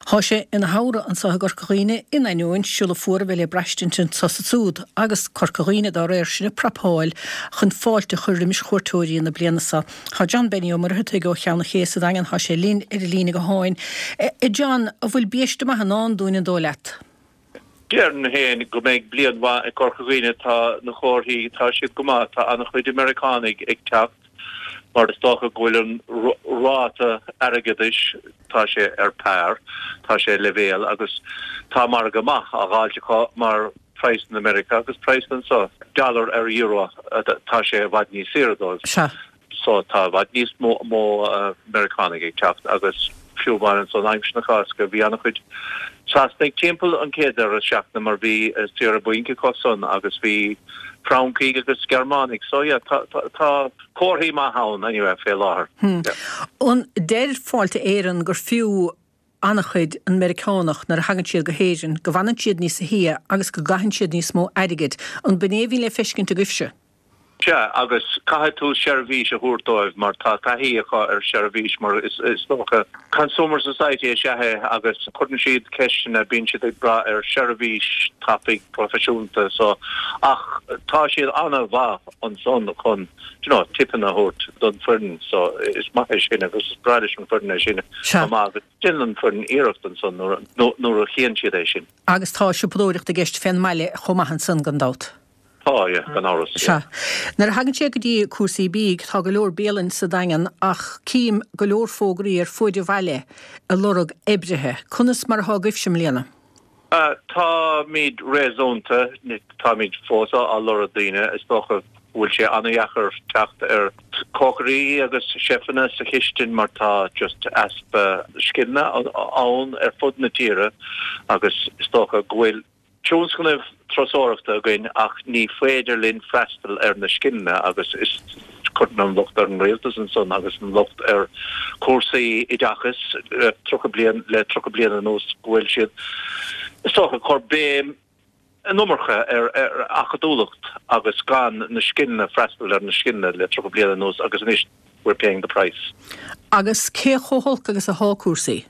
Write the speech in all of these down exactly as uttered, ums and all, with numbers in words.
Thá sé ina shamhradh anso i gCorca Dhuibhne in ainneoin siolla fuar a bheith le braistint anso is ansúd, agus Corca Dhuibhne dá réir sin ag prapáil chun fáilte a chur roimis chuairteoirí na bliana so. Thá John Benny Ó Muircheartaigh ó Cheann an Ché sa Daingean, thá sé linn ar an líne gutháin. A John, an bhfuil biaiste maith i ndán dúinn an dóigh leat? Déarfainn féin go mbeidh bliain mhaith ag Corca Dhuibhne, tá na comharthaí, tá siad go maith, tá an-chuid Meiriceánaigh ag teacht mar is dócha go bhfuil an ráta airgeadais, tá sé ar par, tá sé leibhéal agus tá margadh maith á dh'fháilt acu mar praghsanna Meiriceá agus praghsanna anseo, dollar ar euro, tá sé i bhfad níos saoire dóibh. Sea. So tá i bhfad níos mó Meiriceánaigh ag teacht agus fiú amháin ansan aimsir na Cásca bhí an-chuid Sasanaigh timpeall an chéad deireadh seachtaine mar bhí saoire bainc acu san agus bhí Francaigh agus Gearmánaigh so yeah tá tá comharthaí maith ann anyway fé láthair. Hmm. An deir Fáilte Éireann gur fiú an-chuid an Meiriceánach nuair a thagann siad go hÉirinn, go bhfanann siad níos sia agus go gcaitheann siad níos mó airgid. An b'in é a bhíonn le feiscint agaibhse? Sea, agus caithfidh tú seirbhís a thabhairt dóibh mar tá taithí acu ar sheirbhís mar is dócha consumer society is ea é agus cuireann siad ceisteanna, bíonn siad ag brath ar sheirbhís tapaidh proifisiúnta so ach tá siad an-mhaith ansan chun do you know tipeanna a thabhairt don foireann so is maith é sin agus is breá leis an foireann é sin chomh maith agus déanann an foireann iarracht ansan nuair a chíonn siad é sin. Agus tá siopadóireacht i gceist fén mbaile chomh maith ansan gan dabht. Tá, yeah, gan amhras, yeah. Sea. Nuair a thagann sé go dtí cúrsaí bídh, tá go leor bialann sa Daingean ach cím go leor fógraí ar fuaid an bhaile ag lorg oibrithe. Conas mar atá agaibhse i mbliana? Táimid réasúnta, táimid fós á lorg daoine. Is dócha go bhfuil sé an-dheacair teacht ar chócairí agus cheifanna sa chistin mar tá just easpa scileanna ann ar fud na tíre agus is dócha go bhfuil tionscnaimh turasóireachta againn ach ní féidir linn freastal ar na scileanna agus is cuireann an locht ar an rialtas ansan agus an locht ar chúrsaí oideachais le tríocha bliain le tríocha bliain anuas go bhfuil siad is dócha ag cur béim an iomarca ar ar acadúlacht agus gan na scileanna freastal ar na scileanna le tríocha bliain anuas agus anois we're paying the price. Agus cé chomh holc agus athá cúrsaí?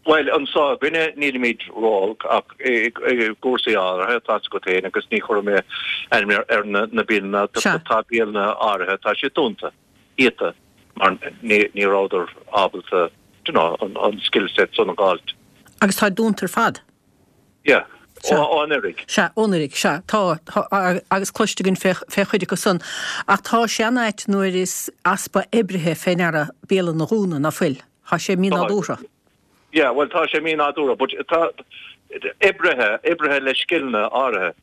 Bhuel, anso againne nílimid ró-olc ach i gcúrsaí áirithe, tá's agat féin, agus ní chuirfidh mé ainm ar na bialanna, tá bialanna áirithe, tá siad dúnta, iata, mar ní rabhadar ábalta, do you know, an skill set san a dh'fháilt. Agus táid dúnta ar fad? Yeah. Ó anuraidh. Sea, ó anuraidh, sea, tá, agus cloiste againn fé chuid acu san. Ach tá sé an-ait nuair is easpa oibrithe fé ndeara bialann a dhúnadh, ná fuil? Tá sé mínádúrtha. Yeah, bhuel tá sé mínádúrtha, but tá oibrithe, oibrithe le scileanna áirithe.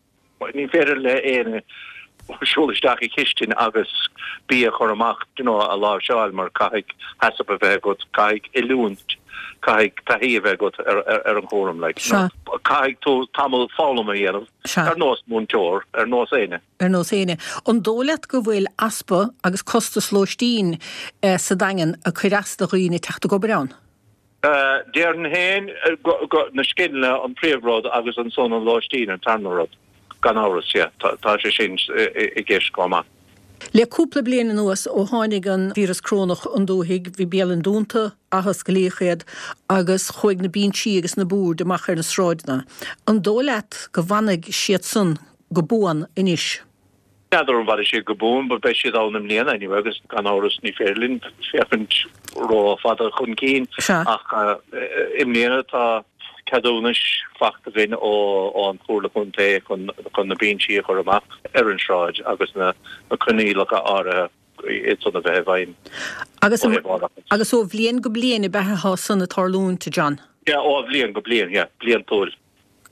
Ní féidir le éinne siúl isteach i chistin agus bia a chur amach, do you know, a láimhseáil mar caithfidh HACCP a bheith agat, caithfidh oiliúint, caithfidh taithí a bheith agat ar, ar, ar an chúram, like, you know. Caithfidh tú tamall foghlama a dhéanamh, ar nós múinteoir, ar nós éinne. Ar nós éinne. An dóigh leat go bhfuil easpa agus costas lóistín sa Daingean ag cur as do dhaoine teacht ag obair ann? Déarfainn féin go na scileanna an príomhrud agus ansan an lóistín an tarna rud, gan amhras, yeah, tá sé sin i gceist chomh maith. Le cúpla bliain anuas, ó tháinig an víreas corónach 'un dúthaigh, bhí bialanna dúnta, athosclaíodh iad agus chuaigh na binsí agus na boird amach ar na sráideanna. An dóigh leat go bhfanfaidh siad san go buan anois? N'fheadar an bhfanfaidh siad go buan but beidh siad ann i mbliana anyway agus gan amhras ní féidir linn féachaint ró-fhada chun cinn ach i mbliana tá ceadúnais fachta againn ó an Chomhairle Contae chun chun na binsí a chur amach ar an sráid agus na coinníollacha áirithe iad san a bheith i bhfeidhm Agus ó thaobh árachais. Agus ó bhliain go bliain ab ea atá san ag tarlúint, a John? Yeah, ó bhliain go bliain, yeah, bliantúil.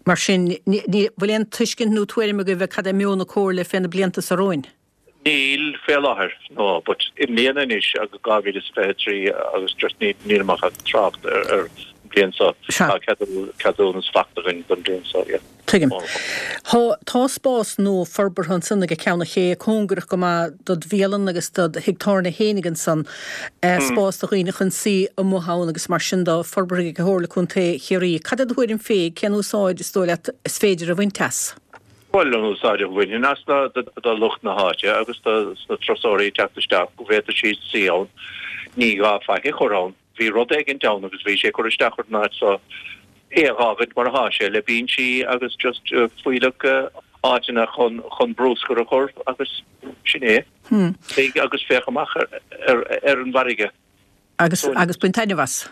Mar sin, ní bhfuil aon tuiscint nó tuairim agaibh ar cad é meon na Comhairle fé na blianta so romhainn? Níl, fé láthair, no, but i mbliana anois, agus dhá mhíle is fiche a trí, agus just ní, nílim ach ag trácht ar, ar an bhliain so, tá ceadú, ceadúnas fachta againn don bhliain so, yeah. Tuigim. Tá, tá spás nua forbartha ansan ag Ceann an Ché, cóngarach go maith dod bhialann agus dod thigh tábhairne fhéinig ansan, spás do dhaoine chun suí amuigh ann agus mar sin de, forbartha ag Comhairle Contae Chiarraí. Cad é do thuairim féig, cén úsáid is dóigh leat is féidir a bhaint as? Bhuel, an úsáid a bhainfinn as ná do lucht na háite agus do na turasóirí ag teacht isteach, go bhféadfadh siad suí ann, ní gá faic a chur ann. Bhí rud éigint ann agus bhí sé ag cur isteach ar an áit so é a fhágaint mar atá sé le binsí agus just fuílleach áiteanna chun chun bruscar a chur agus sin é. Hmm. Téigh agus féach amach ar, ar, ar an bhfarraige. Agus agus bain taitneamh as.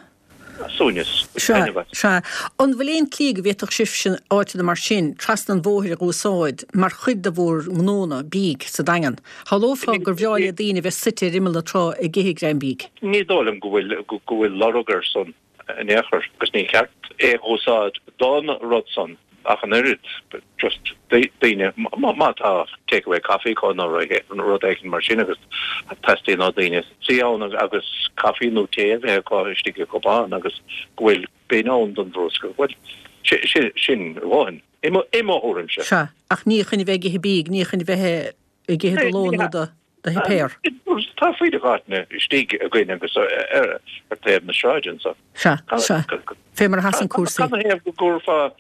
Suaimhneas. Sea, sea. An bhfuil aon tslí go bhféadfadh sibhse áiteanna mar sin trasna an bhóthair a úsáid mar chuid de bhur ngnónna bídh sa Daingean? Shamhlófá gur bhreá le daoine bheith suite ar imeall na trá ag ithe greim bídh. Ní dóigh liom go bhfuil go bhfuil lorg air san in aon chor agus ní ceart é a úsáid don rud san ach an oiread just daoine má tá takeaway coffee acu nó rud éigin mar sin agus teastaíonn ó daoine suí ann agus caife nó tae a bheith acu istigh i gcupán agus go bhfuil bin ann don bhruscar. Bhuel sin sin amháin i mo thuairimse. Sea, ach ní chun a bheith ag ithe bídh, ní chun a bheith ag ithe do lón nó do do shuipéar. Tá fuílleach áiteanna istigh againn agus ar taobh na sráide anso. Sea, sea. Fé mar a sheasann cúrsaí. Cad ina thaobh go gcuirfeá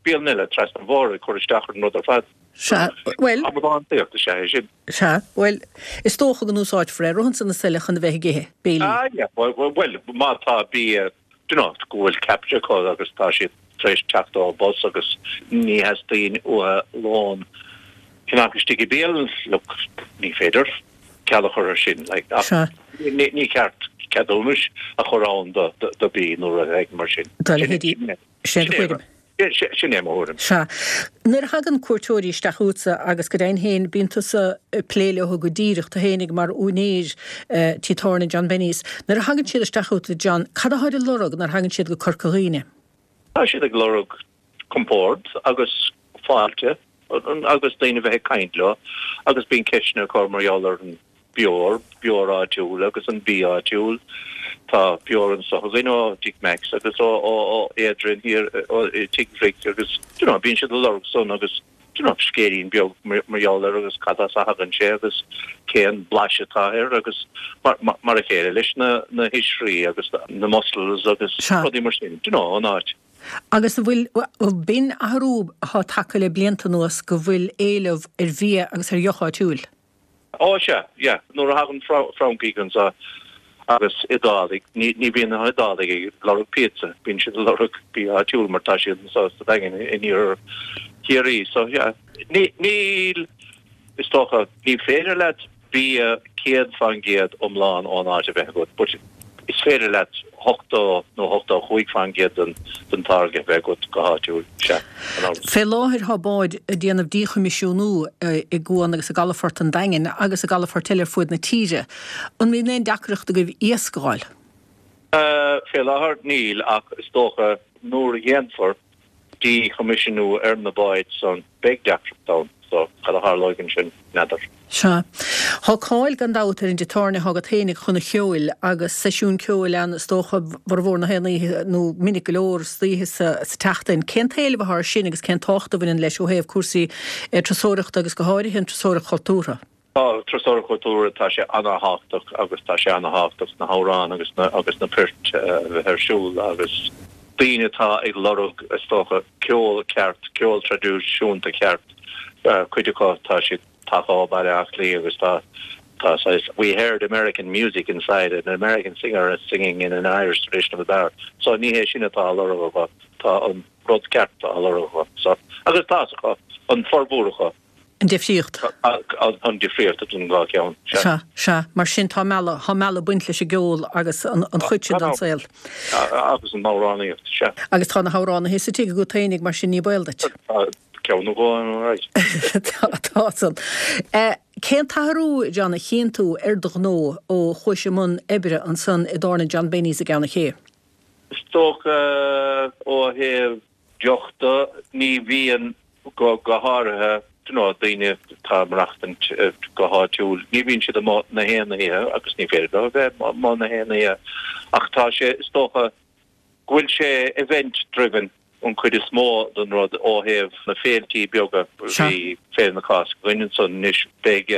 bialann eile trasna an bhóthair ag cur isteach ar an rud ar fad? Sea, bhuel. Amadántaíocht is ea é sin. Sea, bhuel, is dócha go n-úsáidfear é romhatsa is eile chun a bheith ag ithe, béilí. Ah, yeah, bhuel, má tá bia, do you know, go bhfuil ceaptha acu agus tá siad tar éis teacht ó bus agus ní theastaíonn uathu lón ceannach istigh i bialann, look, ní féidir ceal a chur ar sin, like, ach ní, ní ceart ceadúnais a chur ann do, do, do bia nó rud éigin mar sin. Dá leithéidí. Sin é do thuairim. Sin é mo thuairim. Sea. Nuair a thagann cuairteoirí isteach chugatsa, agus go deimhin féin bíonn tusa ag plé leo go díreach, tú fhéinig mar úinéir tí tábhairne John Benny's, nuair a thagann siad isteach chugat, a John, cad atáid ag lorg nuair a thagann siad go Corca Dhuibhne? Tá siad ag lorg compord agus fáilte agus daoine a bheith ag caint leo agus bíonn ceisteanna acu mar gheall ar an beoir, beoir áitiúil agus an bia áitiúil. Tá beoir anso againn ó Tigh Macs agus ó ó Adrian thiar ó Tigh Mhic agus do you know bíonn siad ag lorg san agus do you know scéilín beag mar gheall air agus cad as a thagann sé agus cén blais atá air agus mar mar a chéile leis na na hoisrí agus na mussels agus rudaí mar sin do you know an áit. Agus an bhfuil, b'in athrú atá tagtha le blianta anuas go bhfuil éileamh ar bhia agus ar dheoch áitiúil? Ó sea, yeah, nuair a thagann Francaigh anso agus Iodálaigh, ní ní bhíonn na hIodálaigh ag lorg píotsa, bíonn siad ag lorg bia áitiúil mar tá siad anso sa Daingean in iarthar Chiarraí. So yeah, ní níl, is dócha, ní féidir leat bia céad faoin gcéad iomlán ón áit a bheith agat, but is féidir leat ochtó nó ochtó a cúig faoin gcéad den den táirge a bheith agat go háitiúil, sea, gan amhras. Fé láthair tá báid ag déanamh díchoimisiúnú i gcuan agus i gcalafort an Daingin agus i gcalafoirt eile ar fuaid na tíre. An mbíonn aon deacracht agaibh iasc a fháil? Fé láthair níl ach is dócha nuair a dhéanfar díchoimisiúnú ar na báid san, beidh deacracht ann. So, cad a tharlóidh ansin, n'fheadar. Sea. Tá cáil gan dabht ar an dtigh tábhairne atá agat fhéinig chun an cheoil agus seisiúin ceoil ann is dócha formhór na haon oíche nó minic go leor istoíche sa tseachtain. Cén t-éileamh atá air sin agus cén tábhacht a bhaineann leis ó thaobh cúrsaí turasóireachta agus go háirithe an turasóireacht chultúrtha? Tá turasóireacht chultúrtha, tá sé ana-thábhachtach agus tá sé ana-thábhachtach na hamhráin agus na agus na poirt a bheith ar siúl agus daoine atá ag lorg, is dócha, ceol ceart, ceol traidisiúnta ceart, cuid acu tá siad tagtha ó Bhaile Átha Cliath agus tá tá saghas we heard American music inside an American singer is singing in an Irish traditional bar so ní hé sin atá á lorg acu, tá an rud ceart á lorg acu so agus tá's acu, an formhór acu. An difríocht. An difríocht idir an dhá cheann, sea. Sea, sea. Mar sin tá mealladh, tá mealladh ag baint leis an gceol agus an chuid sin den saol. Agus an amhránaíocht, sea. Agus tá na hamhránaithe sa tigh agat fhéinig, mar sin ní baol duit. Tá ceann nó dhó ann, alright. Tá, tá san. Cén t-athrú, John, a chíonn tú ar do ghnó ó chuais i mbun oibre ansan i dtábhairne John Benny's i gCeann an Ché? Is dócha ó thaobh deoch de, ní bhíonn go go háirithe you know daoine atá ag maireachtaint go háitiúil, ní bhíonn siad amuigh na haon oíche agus ní féidir leo a bheith amuigh na haon oíche ach tá sé, is dócha go bhfuil sé event driven an chuid is mó den rud ó thaobh na féiltí beaga. Bhí Féile na Cásca againn ansan, anois beidh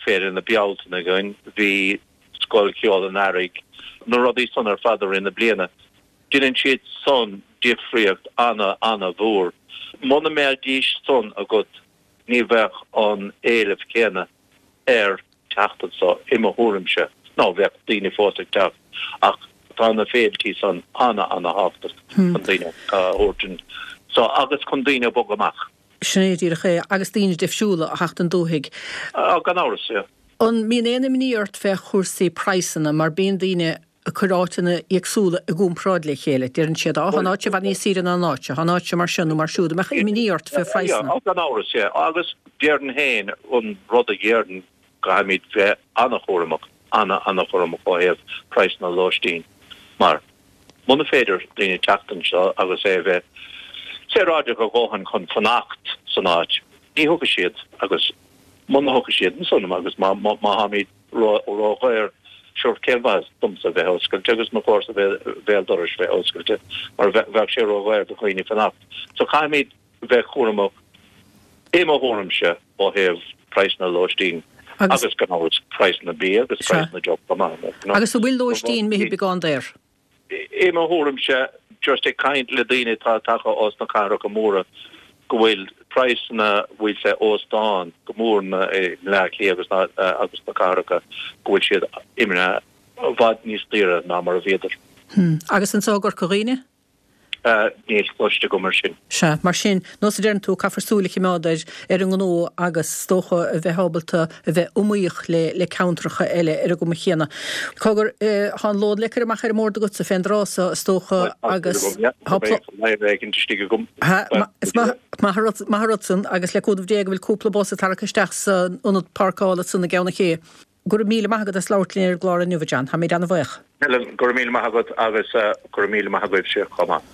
Féile na Bealtaine againn, bhí Scoil Cheoil an Earraigh, na rudaí san ar fad i rith na bliana. Deineann siad san difríocht ana, ana mhór. Muna mbeidís san agat ní bheadh an éileamh céanna ar teacht anso, i mo thuairimse. Nó bheadh daoine fós ag teacht ach Tá na féiltí san ana ana-thábhachtach chun daoine a thabhairt anso agus chun daoine a bogadh amach. Sin é díreach é, agus daoine difriúla a theacht 'on dúthaigh. Gan amhras, yeah. An mbíonn aon imní ort fé chúrsaí praghsanna mar bíonn daoine ag cur áiteanna éagsúla i gcomparáid le chéile. Deireann siad, á, tá an áit seo i bhfad níos saoire ná an áit seo, tá an áit seo mar seo nó mar siúd. An mbeadh imní ort fé phraghsanna? Yeah, gan amhras, yeah. Agus déarfainn féin, an rud a déarfainn, caithfimid bheith an-chúramach, ana-ana-chúramach ó thaobh praghsanna lóistín mar muna féidir daoine teacht anseo agus é a bheith saoráideach a dhóthain chun fanacht san áit, ní thiocfaidh siad agus muna thiocfaidh siad ansan agus má tháimid ró-dhaor, sure cén mhaitheas domsa bheith oscailte agus mo chomharsa béal dorais bheith oscailte mar bheadh sé ró-dhaor do dhaoine fanacht. So caithfimid bheith cúramach i mo thuairimse ó thaobh praghsanna lóistín agus gan amhras praghsanna bia agus praghsanna deoch chomh maith. Agus an bhfuil lóistín imithe beagán daor? I mo thuairimse, just ag caint le daoine atá tagtha ós na cathracha móra, go bhfuil praghsanna bhfuil sé óstán go mór na i mBleá Cliath agus na agus na cathracha go bhfuil siad imithe i bhfad níos daoire ná mar a bhíodar. Hmm. Agus anso i gCorca Dhuibhne? Níl cloiste agam ar sin. Sea, mar sin, nós a deireann tú, caithfear súil a choimeád ar ar an ngnó agus is dócha a bheith ábalta a bheith iomaíoch le le ceantracha eile ar an gcuma chéanna. Cogar, tá an lón le cur amach ar an mbord agatsa fén dtráth so, is dócha, agus tá pl. istigh agam. Is maith maith an rud maith an rud san agus le cúnamh Dé go bhfuil cúpla bus ag tarrac isteach san ionad páirceála san i gCeann an Ché. Go raibh míle maith agat as labhairt linn ar an gclár inniu, a John. Táimid ana-bhuíoch. Helen, go raibh míle maith agat agus go raibh míle maith agaibhse chomh maith.